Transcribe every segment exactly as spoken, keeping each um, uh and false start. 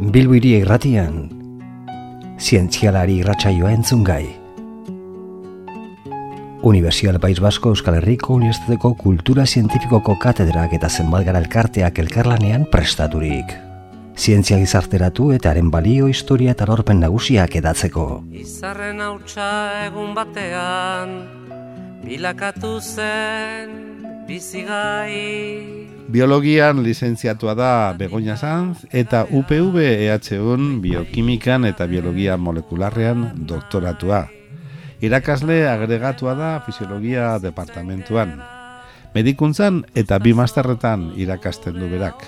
Bilbo Hiri Irratian, zientzialari irratsaioa entzungai. Unibertsial País Basko Euskal Herriko Unibertsitateko Kultura Zientifikoko katedrak eta zenbat elkarteak elkarlanean prestaturik. Zientzia gizarteratu eta haren balio, historia eta lorpen nagusiak edatzeko. Izarren hautsa egun batean, bilakatu zen bizigai. Biologian lizentziatua da Begoña Sanz eta U P V E H Un biokimikan eta biologia molekularrean doktoratua. Irakasle agregatua da fisiologia departamentuan. Medikuntzan eta bi masterretan irakasten du berak.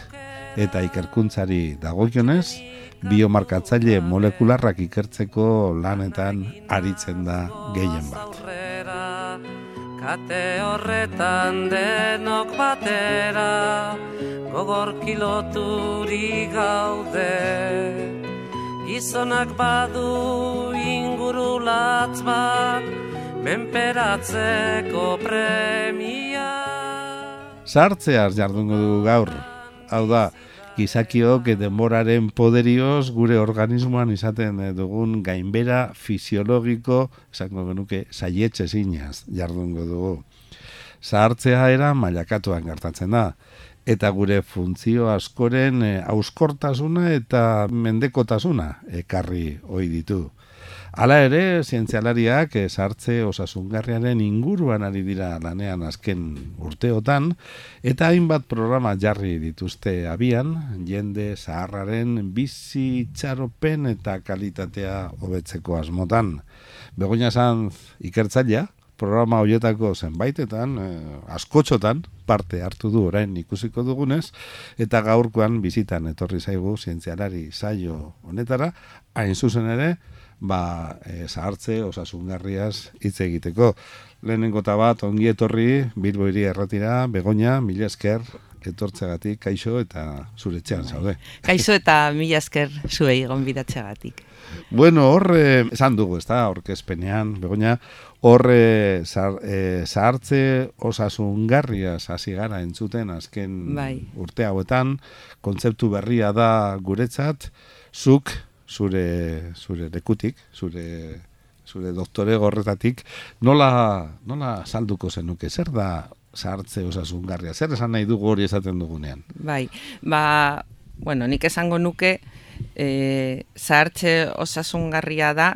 Eta ikerkuntzari dagokionez, biomarkatzaile molekularrak ikertzeko lanetan aritzen da gehien bat. Kate horretan denok batera, gogor kiloturi gaude. Gizonak badu ingurulatz bat, menperatzeko premia. Sartzeaz jardungo dugu gaur. Hau da, gizakiok denboraren poderioz gure organismoan izaten dugun gainbera fisiologiko, esango genuke, saietxe zinaz jardungo dugu. Zahartzea era mailakatuan gertatzen da, eta gure funtzio askoren hauskortasuna eta mendekotasuna ekarri ohi ditu. Hala ere, zientzialariak zahartze osasungarriaren inguruan ari dira lanean azken urteotan, eta hainbat programa jarri dituzte abian, jende zaharraren bizi itxaropen eta kalitatea hobetzeko asmotan. Begoña Sanz ikertzailea, programa horietako zenbaitetan, eh, askotxotan, parte hartu du orain ikusiko dugunez, eta gaurkoan bizitan etorri zaigu zientzialari saio honetara, hain zuzen ere, ba, e, zahartze osasungarriaz hitz egiteko. Lehenengo eta bat, ongi etorri, Bilbo Hiri Irratira, Begoña, mila esker etortzeagatik, kaixo eta zure etxean zaude. Kaixo eta mila esker zuei gonbidatzeagatik. Bueno, horre, esan dugu, ez da, aurkezpenean, Begoña, horre zahartze osasungarriaz hasi gara entzuten azken bai. urte hauetan, kontzeptu berria da guretzat, zuk, zure zure lekutik, zure zure doktore gorretatik, nola nola salduko zenuke, zer da zahartze osasungarria, zer esan nahi dugu hori esaten dugunean? Bai, ba, bueno, nik esango nuke e, zahartze osasungarria da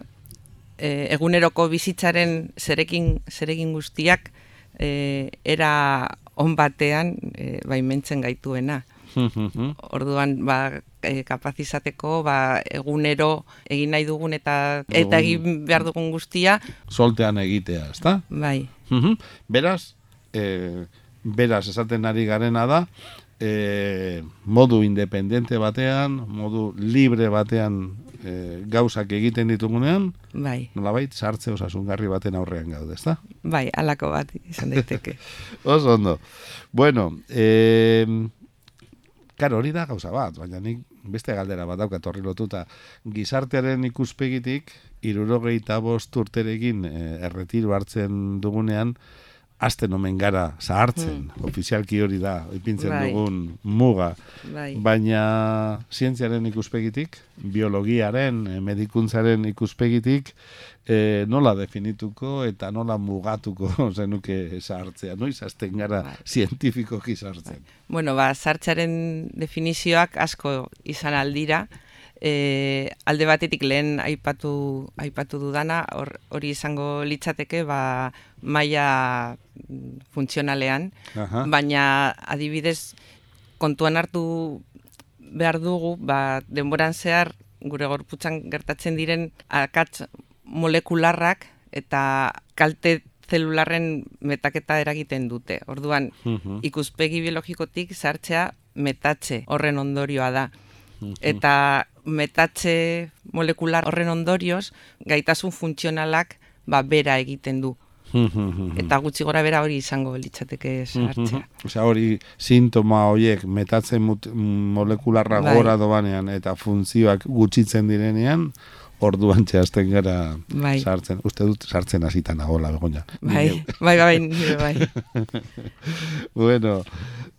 e, eguneroko bizitzaren zerekin zeregin guztiak e, era on batean e, baimentzen gaituena. Orduan, ba, e, kapazizateko, ba, egunero egin nahi dugun eta eta egin behar dugun guztia. Soltean egitea, ezta? Bai. Beraz, e, beraz esaten ari garena da, e, modu independente batean, modu libre batean e, gauzak egiten ditugunean, bai. Nolabait, zahartze osasungarri baten aurrean gaude, ezta? Bai, halako bat izan daiteke. Oso ondo. Bueno, eh, Karo, hori da gauza bat, baina nik beste galdera bat daukat horri lotuta. Gizartearen ikuspegitik, hirurogeita bost urterekin eh, erretiro hartzen dugunean, hasten omen gara zahartzen, hmm. ofizialki hori da, ipintzen bai. dugun muga. Bai. Baina zientziaren ikuspegitik, biologiaren, medikuntzaren ikuspegitik, e, nola definituko eta nola mugatuko zenuke zahartzea, noiz hasten gara bai. zientifikoki zahartzen. Bai. Bueno, ba, zahartzaren definizioak asko izan aldira, E, alde batetik lehen aipatu aipatu dudana, hori izango litzateke ba, maila funtzionalean, Aha. baina adibidez kontuan hartu behar dugu, ba, denboran zehar gure gorputzan gertatzen diren akats molekularrak eta kalte zelularren metaketa eragiten dute. Orduan, uh-huh. ikuspegi biologikotik zahartzea metatze horren ondorioa da. Eta metatze molekular horren ondorioz gaitasun funtzionalak ba, bera egiten du. Eta gutxi gora bera hori izango litzateke zahartzea. Osea, hori sintoma horiek metatze molekularra bai. Gora dobanean eta funtzioak gutxitzen direnean, orduan txeazten gara bai. Sartzen. Uste dut sartzen hasitan nagola, Begoña. Bai, bai, bai, nire bai. Bueno,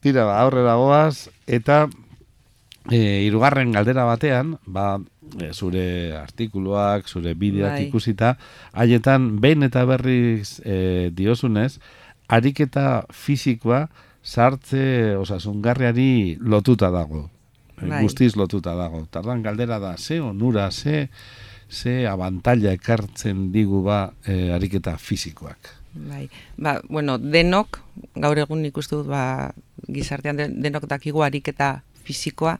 tira, aurrera goaz, eta E, irugarren galdera batean, ba, e, zure artikuluak, zure bideoak Bai. ikusita, haietan behin eta berriz e, diozunez, ariketa fisikoa sartze osasungarriari lotuta dago. Bai. Guztiz lotuta dago. Tardan galdera da, ze onura, ze, ze abantaila ekartzen digu ba e, ariketa fisikoak. Bai, ba, bueno, denok, gaur egun ikustu dut, ba, gizartean den- denok dakigu ariketa fisikoa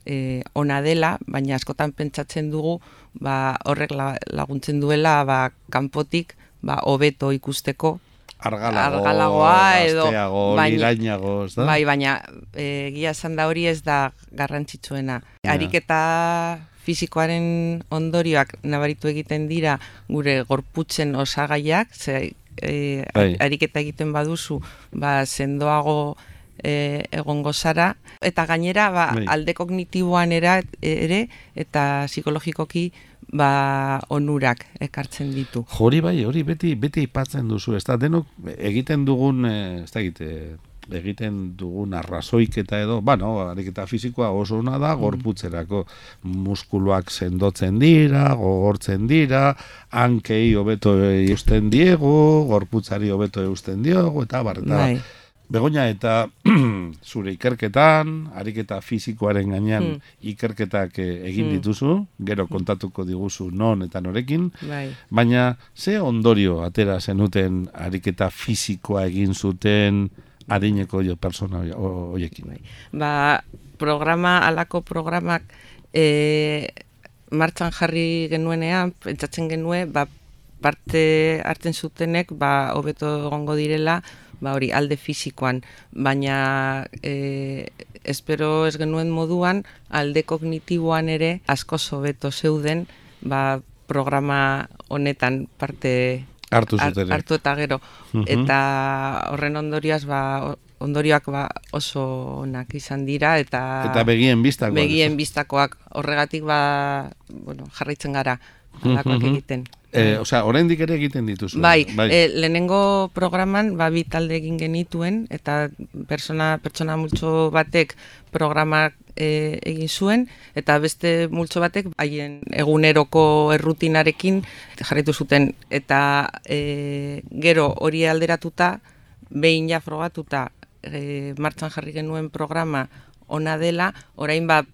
e, ona dela, baina askotan pentsatzen dugu, ba, horrek la- laguntzen duela, ba, kanpotik, ba, hobeto ikusteko, Argalago, argalagoa edo gazteago, baina- lirainago, ez da? bai, baina e, egia esan da hori ez da garrantzitsuena. Ja. Ariketa fisikoaren ondorioak nabaritu egiten dira gure gorputzen osagaiak, ze e, Bai. ariketa egiten baduzu, ba, sendoago e, egongo zara, eta gainera ba, Bai. alde kognitiboan era, ere eta psikologikoki ba, onurak ekartzen ditu. Hori bai, hori beti beti aipatzen duzu, ez da, denok egiten dugun, eh, ez da egite, egiten dugun arrazoiketa edo, bueno, ariketa fisikoa oso ona da, gorputzerako muskuluak sendotzen dira, gogortzen dira, hankei hobeto eusten diegu, gorputzari hobeto eusten diogu, eta bar, eta Bai. Begoña, eta zure ikerketan, ariketa fisikoaren gainean Hmm. ikerketak eh, egin Hmm. dituzu, gero kontatuko diguzu non eta norekin, Bai. baina ze ondorio atera zenuten ariketa fisikoa egin zuten adineko jo persona ho- hoiekin. Ba, programa, alako programak e, martxan jarri genuenean, pentsatzen genuen, ba, parte hartzen zutenek, ba, hobeto egongo direla, ba, hori alde fisikoan, baina e, espero ez genuen moduan, alde kognitiboan ere askoz hobeto zeuden, ba, programa honetan parte Hartu har- zuten. hartu eta gero. Mhm. Eta horren ondorioaz, ba, o- ondorioak ba, oso onak izan dira, eta, Eta begien bistakoak. begien bistakoak horregatik ba, bueno, jarraitzen gara alakoak Mhm. egiten. Eh, osea, oraindik ere egiten dituzu. Bai, E, lehenengo programan ba, bi talde egin genituen, eta persona, pertsona multzo batek programak e, egin zuen, eta beste multzo batek haien eguneroko errutinarekin jarraitu zuten, eta e, gero hori alderatuta, behin ja frogatuta e, martxan jarri genuen programa ona dela, orain ba,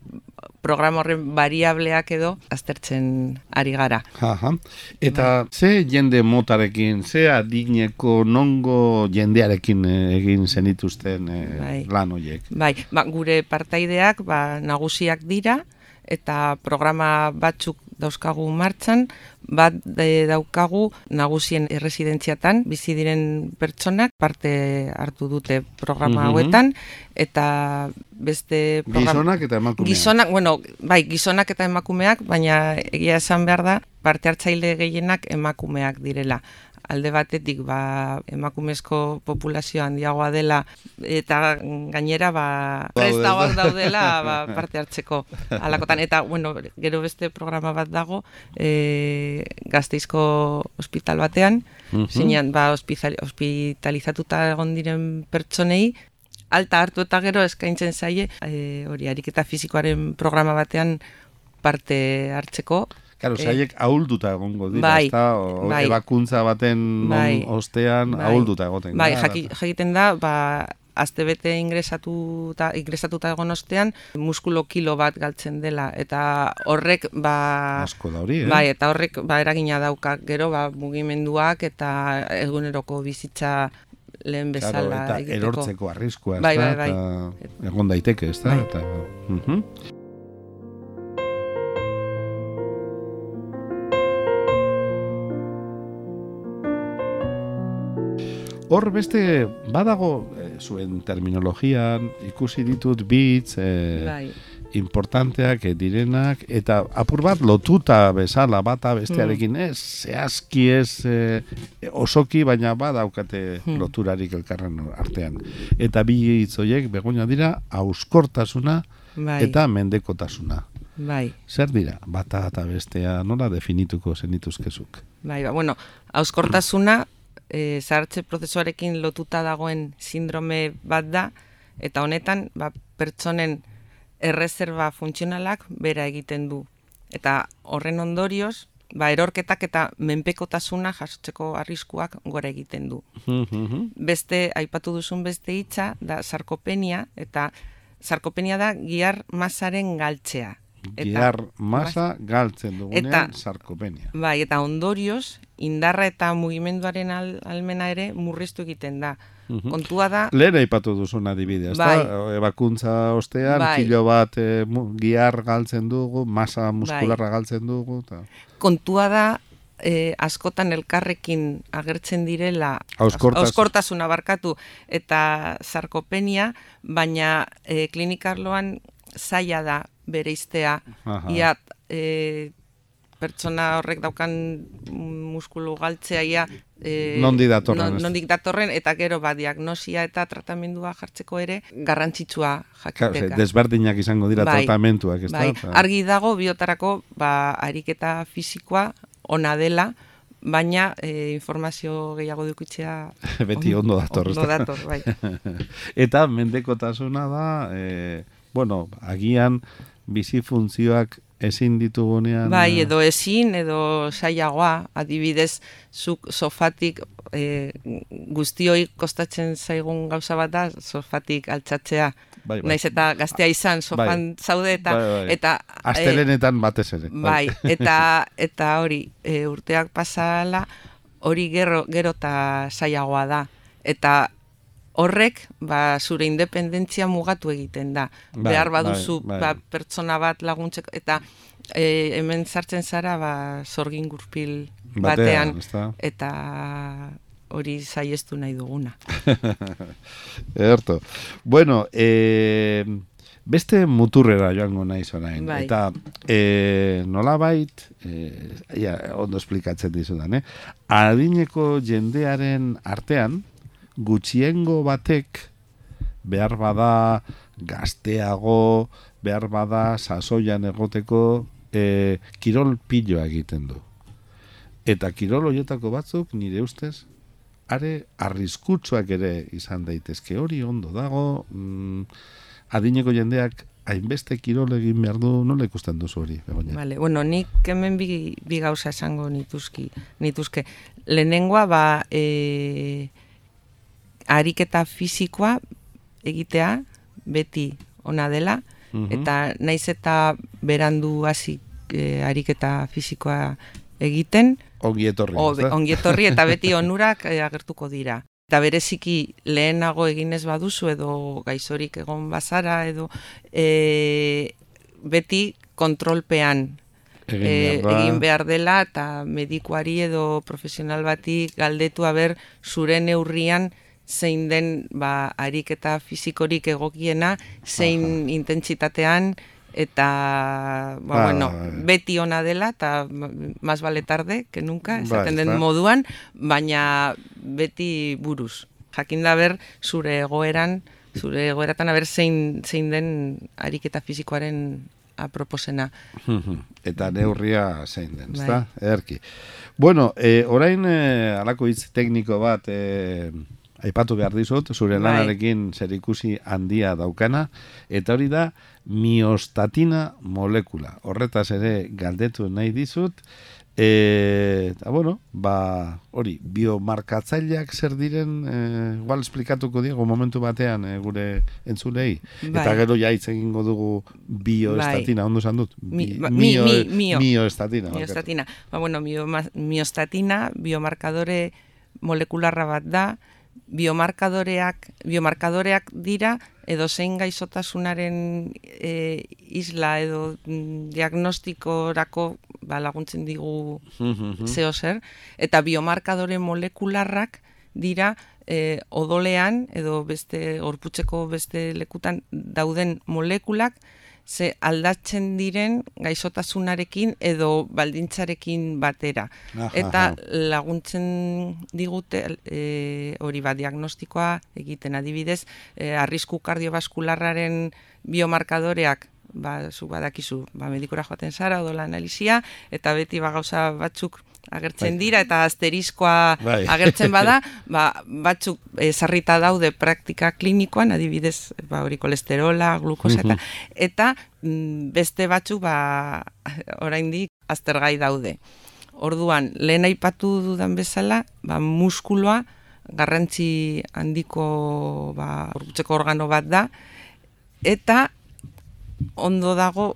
programa horren variableak edo aztertzen ari gara. Aha. Eta ze jende motarekin, ze adineko nongo jendearekin eh, egin zenituzten eh, Bai. lan horiek? Bai, ba, gure partaideak ba, nagusiak dira, eta programa batzuk dauzkagu martxan, bat e, daukagu nagusien erresidentziatan, bizi diren pertsonak parte hartu dute programa Mhm. hauetan, eta beste programa... Gizonak eta emakumeak. Gizonak, bueno, bai, gizonak eta emakumeak, baina egia esan behar da, parte hartzaile gehienak emakumeak direla. Alde batetik, ba, emakumezko populazio handiagoa dela, eta gainera, ba, Daude, prestagoak da. daudela ba, parte hartzeko alakotan. Eta, bueno, gero beste programa bat dago, e, Gasteizko ospital batean, Mhm. zinean, ba, hospizal- hospitalizatuta egon diren pertsonei, alta hartu eta gero eskaintzen zaie, e, hori, ariketa fisikoaren programa batean parte hartzeko. Claro, Eh, zaiek ahulduta egongo dira, bai, ezta? O, bai. ebakuntza baten Bai. on- ostean Bai. ahulduta egoten. Bai, da, jaki, jakiten da, ba, astebete ingresatuta, ingresatuta egon ostean, muskulo kilo bat galtzen dela, eta horrek, ba... Asko da hori, eh? Bai, eta horrek ba, eragina dauka gero ba, mugimenduak eta eguneroko bizitza lehen Claro, bezala eta egiteko. erortzeko arriskua, ez Bai, da? bai, bai. Eta egon daiteke, ez da? Bai. Eta, mhm. Hor beste badago eh, zuen terminologian ikusi ditut bitz eh, Bai, importanteak eh, direnak eta apur bat lotuta bezala bata bestearekin ez zehazki ez eh, osoki baina badaukate Hmm. loturarik elkarren artean eta bi hitz horiek Begoña dira auskortasuna bai, eta mendekotasuna. bai, Zer dira bata eta bestea nola definituko zenituzkezuk? bai, ba, bueno, hauskortasuna e, zahartze prozesuarekin lotuta dagoen sindrome bat da, eta honetan ba, pertsonen erreserba funtzionalak bera egiten du. Eta horren ondorioz, ba, erorketak eta menpekotasuna jasotzeko arriskuak gora egiten du. Beste, aipatu duzun beste hitza, da sarkopenia, eta sarkopenia da gihar masaren galtzea. Gihar masa galtzen dugunean sarkopenia. Bai, eta ondorioz, indarra eta mugimenduaren al, almena ere murriztu egiten da. Kontua da... Lehen aipatu duzun adibidea, ezta? Bai. Ebakuntza ostean, Bai. kilo bat e, gihar galtzen dugu, masa muskularra bai. galtzen dugu. Ta. Kontua da, eh, askotan elkarrekin agertzen direla, Auskortas... auskortasuna barkatu, eta sarkopenia, baina eh, klinikarloan zaila da bereiztea, ia e, pertsona horrek daukan muskulu galtzea ia e, nondik datorren, non, nondik datorren eta gero ba diagnosia eta tratamendua jartzeko ere garrantzitsua jakiteka. Claro, desberdinak izango dira bai, tratamentuak, ez bai. da? Argi dago biotarako ba ariketa fisikoa ona dela, baina e, informazio gehiago dukitzea beti ondo dator, ondo dator, bai. Eta mendekotasuna da, e, bueno, agian bizi funtzioak ezin ditugunean... Bai, edo ezin, edo saiagoa, adibidez, zuk sofatik, e, guztioi kostatzen zaigun gauza bat da, sofatik altxatzea. Bai, bai. Naiz eta gaztea izan, sofan bai. zaude eta... Bai, bai. eta Astelenetan e, batez ere. Bai, eta, eta hori, e, urteak pasala, hori gero, gero eta saiagoa da. Eta horrek, ba, zure independentzia mugatu egiten da. Bai, behar baduzu bai, bai. Ba, pertsona bat laguntzeko, eta e, hemen sartzen zara ba, zorgin gurpil batean, batean eta hori saiestu nahi duguna. Erto. Bueno, e, beste muturrera joango naiz orain. Bai. Eta e, nolabait, e, ja, ondo esplikatzen dizudan, eh? Adineko jendearen artean, gutxiengo batek behar bada gazteago, behar bada sasoian egoteko e, kirol piloa egiten du. Eta kirol horietako batzuk, nire ustez, are arriskutsuak ere izan daitezke, hori ondo dago, mm, adineko jendeak hainbeste kirol egin behar du, nola ikusten duzu hori? Vale, bueno, nik hemen bi, bi gauza esango nituzki, nituzke. Lehenengoa, ba, e, ariketa fisikoa egitea beti ona dela, uh-huh. eta naiz eta berandu hasi e, ariketa fisikoa egiten, ongi etorri, o, ongi etorri eta beti onurak e, agertuko dira. Eta bereziki lehenago eginez baduzu edo gaizorik egon bazara edo e, beti kontrolpean egin behar, e, egin behar dela eta medikuari edo profesional bati galdetu aber zure neurrian zein den ba, ariketa fisikorik egokiena, zein Aha. intentsitatean, eta ba, ba, bueno, beti ona dela, eta más vale tarde que nunca, esaten ba, den moduan, baina beti buruz. Jakin da ber, zure egoeran, zure egoeratan aber zein, zein den ariketa fisikoaren aproposena. Eta neurria zein den, ezta? Ederki. Bueno, eh, orain eh, alako hitz tekniko bat... Eh, aipatu behar dizut, zure lanarekin zerikusi handia daukana, eta hori da miostatina molekula. Horretaz ere galdetu nahi dizut, e, eta bueno, ba, hori, biomarkatzaileak zer diren, e, igual esplikatuko diego momentu batean e, gure entzulei, bai. Eta gero ja hitz egingo dugu bioestatina, bai. Ondo esan dut? Mi, ba, mio, mi, mi, mio. Mioestatina. Miostatina. Ba, bueno, miostatina, biomarkadore molekularra bat da, biomarkadoreak, biomarkadoreak dira edo zein gaizotasunaren e, isla edo diagnostikorako ba, laguntzen digu zeo zer, eta biomarkadore molekularrak dira e, odolean edo beste gorputzeko beste lekutan dauden molekulak ze aldatzen diren gaixotasunarekin edo baldintzarekin batera. Aha, eta laguntzen digute e, hori ba, diagnostikoa egiten adibidez, e, arrisku kardiobaskularraren biomarkadoreak, ba, zu badakizu, ba, medikura joaten zara, odola analizia, eta beti ba, gauza batzuk agertzen Bai. dira eta asteriskoa Bai. agertzen bada, ba, batzuk ezarrita daude praktika klinikoan, adibidez, ba, hori kolesterola, glukosa eta, eta mm, beste batzuk ba, oraindik aztergai daude. Orduan, lehen aipatu dudan bezala, ba, muskuloa garrantzi handiko ba, gorputzeko organo bat da, eta ondo dago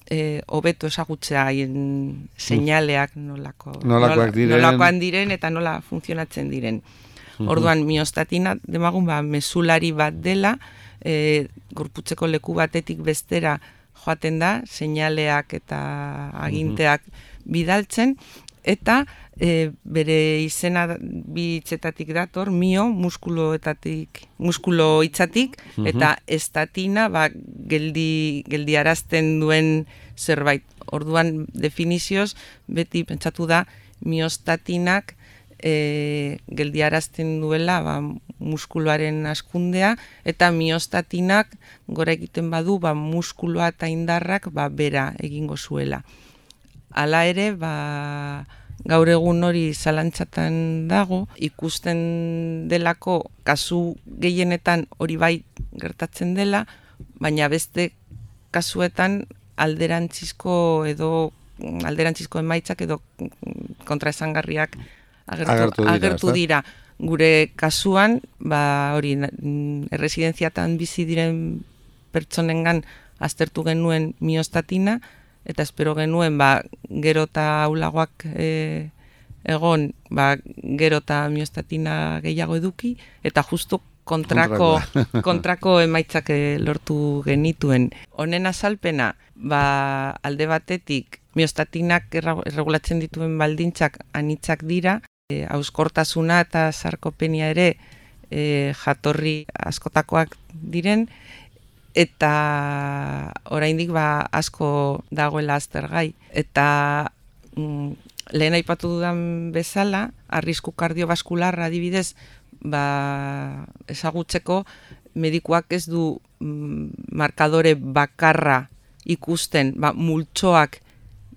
e, hobeto ezagutzea haien seinaleak nolako, Nolakoak diren. nolakoan diren eta nola funtzionatzen diren. Orduan, miostatina demagun ba, mesulari bat dela, e, gorputzeko leku batetik bestera joaten da, seinaleak eta aginteak bidaltzen, eta e, bere izena bi hitzetatik dator, mio, muskuloetatik, muskulo hitzatik, eta estatina, ba, geldi, geldiarazten duen zerbait. Orduan, definizioz, beti pentsatu da, miostatinak e, geldiarazten duela ba, muskuloaren askundea, eta miostatinak gora egiten badu, ba, muskuloa eta indarrak ba, bera egingo zuela. Hala ere, ba, gaur egun hori zalantzatan dago, ikusten delako kasu gehienetan hori bai gertatzen dela, baina beste kasuetan alderantzizko edo alderantzizko emaitzak edo kontraesangarriak agertu, Agertu dira, agertu ezta? dira. Gure kasuan, ba, hori, erresidenziatan bizi diren pertsonengan aztertu genuen miostatina, eta espero genuen, ba, gero eta aulagoak e, egon, ba, gero eta miostatina gehiago eduki, eta justu kontrako, kontrako emaitzak e, lortu genituen. Honen azalpena, ba, alde batetik, miostatinak erra- erregulatzen dituen baldintzak anitzak dira, e, hauskortasuna eta sarkopenia ere e, jatorri askotakoak diren, eta oraindik ba asko dagoela aztergai. Eta mm, lehen aipatu dudan bezala, arrisku kardiobaskularra adibidez, ba, ezagutzeko medikuak ez du mm, markadore bakarra ikusten, ba, multzoak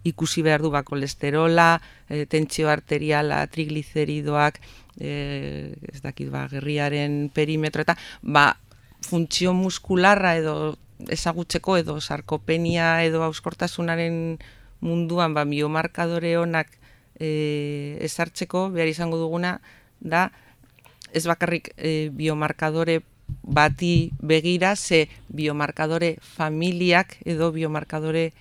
ikusi behar du, ba, kolesterola, e, tentsio arteriala, trigliceridoak, e, ez dakit, ba, gerriaren perimetro, eta ba, funtzio muskularra edo ezagutzeko edo sarkopenia edo hauskortasunaren munduan ba, biomarkadore onak e, ezartzeko behar izango duguna da ez bakarrik e, biomarkadore bati begira, ze biomarkadore familiak edo biomarkadore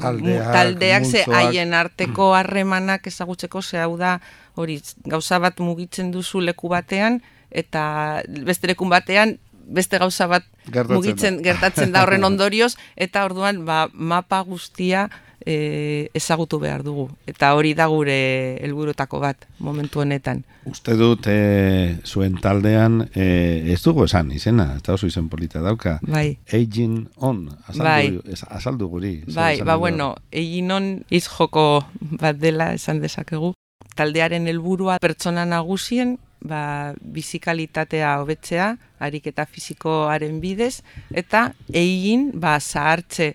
Taldeak, taldeak ze multzoak. haien arteko harremanak ezagutzeko, ze hau da hori gauza bat mugitzen duzu leku batean eta beste lekun batean beste gauza bat Gertatzen mugitzen da. gertatzen da horren ondorioz, eta orduan ba, mapa guztia e, ezagutu behar dugu. Eta hori da gure helburutako bat momentu honetan. Uste dut e, zuen taldean e, ez dugu esan izena, eta oso izen polita dauka. Bai. Aging on, azaldu, Bai. ez- azaldu guri. zer Bai, esan ba nahi du? bueno, egin on hitz joko bat dela esan dezakegu. Taldearen helburua pertsona nagusien ba, bizikalitatea hobetzea, ariketa fisikoaren bidez, eta egin ba, zahartze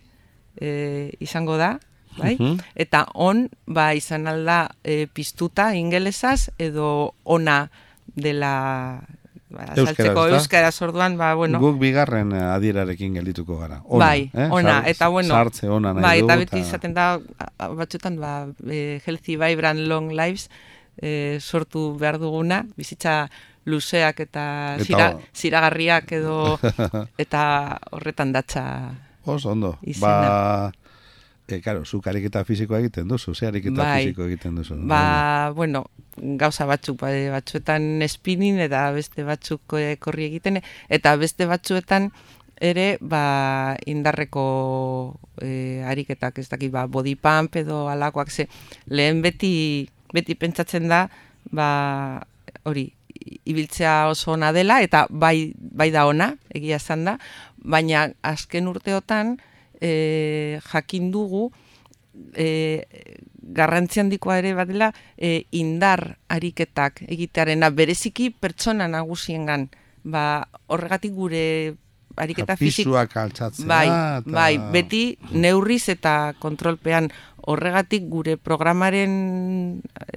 e, izango da, bai? Mhm. Eta on ba, izan alda e, piztuta ingelesaz edo ona dela ba, Euskaraz, azaltzeko ezta? euskaraz orduan, ba, bueno, Guk bigarren eh, adierarekin geldituko gara. Ona, bai, eh? ona, Sar- eta bueno, sartze ona nahi bai, du. eta beti izaten da, a- a- batzuetan, ba, e, healthy, vibrant, long lives, e, sortu behar duguna, bizitza luzeak eta, Eta zira, o- ziragarriak edo, eta horretan datza. Oso ondo. izena. Ba, e, karo, zuk ariketa fisikoa egiten duzu, ze ariketa Bai. fisiko egiten duzu. Ba, bueno, gauza batzuk, ba, batzuetan spinning eta beste batzuk e, korri egiten, eta beste batzuetan ere ba, indarreko e, ariketak, ez dakit, ba, body pump edo alakoak, ze lehen beti, beti pentsatzen da, ba, hori, ibiltzea oso ona dela, eta bai, bai da ona, egia esan da, baina azken urteotan e, jakin dugu, e, garrantzi handikoa ere badela e, indar ariketak egitearena bereziki pertsona nagusiengan. Ba, horregatik gure ariketa fisiko... Pisuak altxatzea. Bai, eta... bai, beti neurriz eta kontrolpean. Horregatik gure programaren,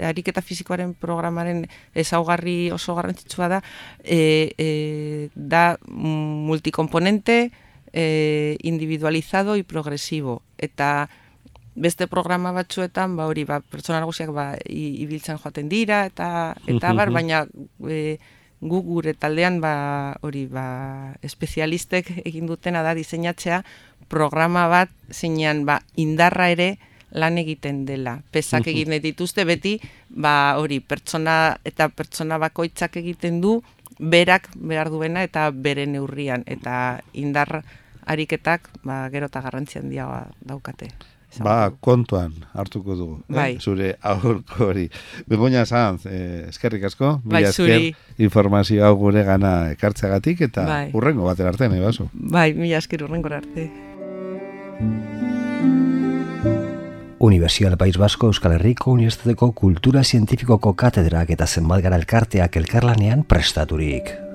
ariketa fisikoaren programaren ezaugarri oso garrantzitsua da, e, e, da multikomponente, e, individualizado y progresivo. Eta beste programa batzuetan, ba hori, ba, pertsona nagusiak ba, ibiltzen joaten dira, eta eta bar, baina e, gu gure taldean ba hori ba espezialistek egin dutena da diseinatzea programa bat zeinean ba indarra ere lan egiten dela. Pesak egin dituzte beti, ba hori pertsona eta pertsona bakoitzak egiten du berak behar duena eta bere neurrian eta indar ariketak ba gero ta garrantzi handia daukate. Ba, kontuan hartuko dugu, bai. eh? Zure aurko hori. Begoña Sanz, eh, eskerrik asko, bai, mila esker informazio hau gure gana ekartzeagatik eta bai. Urrengo batera arte, nahi baso. Bai, mila esker urrengo arte. Universidad del País Vasco Euskal Herriko Unibertsitateko Kultura Zientifikoko katedrak eta zenbat gara elkarteak elkarlanean prestaturik.